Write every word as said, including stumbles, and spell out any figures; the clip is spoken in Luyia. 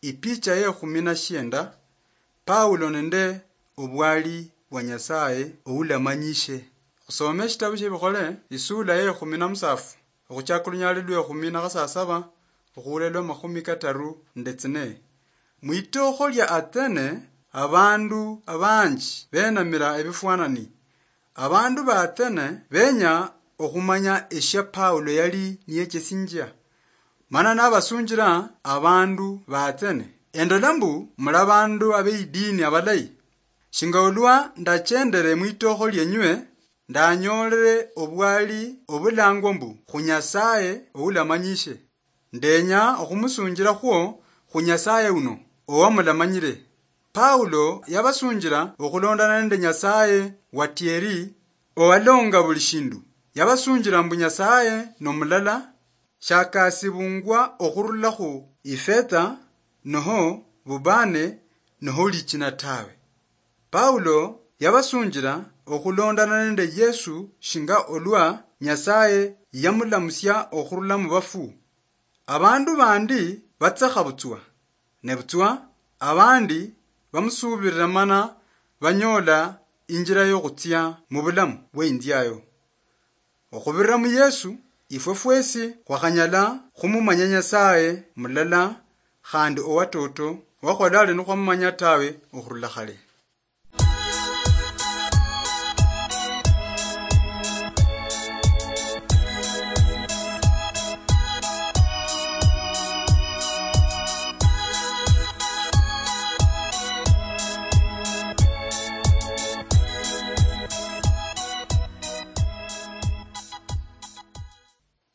Ipicha ye khumi na shienda, Paulo nende obwali bwa Nyasaye oulamanyishe. Khusome eshitabu shie Bikhole, isula ye khumi na musafu, okhuchaka olunyali lwe khumi na khasasaba, okhuula lwa makhumi kataru nende tsine. Mwitokho lia Athene, abandu abanji benamira ebifwanani. Abandu ba Athene benya okhumanya eshia Paulo yali niyechesinjia. Mana nabasunjira abandu ba Athene, "Endola mbu muli abandu abeidini abalayi. Shinga olwa ndachendere mwitokho lienywe, ndanyoolere obwali obulangwa mbu khu Nyasaye oulamanyishe. Ndenya okhumusunjirakhwo khu Nyasaye uno owamulamanyire." Paulo yabasunjira okhulondana nende Nyasaye watieri owalonga buli shindu. Yabasunjira mbu Nyasaye nomulala, shakasibungwa okhurula khu ifetha, noho bubane, noho lichina tawe. Paulo yabasunjira okhulondana nende Yesu shinga olwa Nyasaye yamulamusia okhurula mu bafu. Abandu bandi batsekha butswa, nebutswa abandi bamusubirira mana banyola injira yokhutsia mu bulamu bwe inziayo. Okhubirira mu Yesu, ifwe fwesi khwakhanyala khumumanya Nyasaye mulala khandi owatoto, wakholali nikhwamumanya tawe okhurula khale.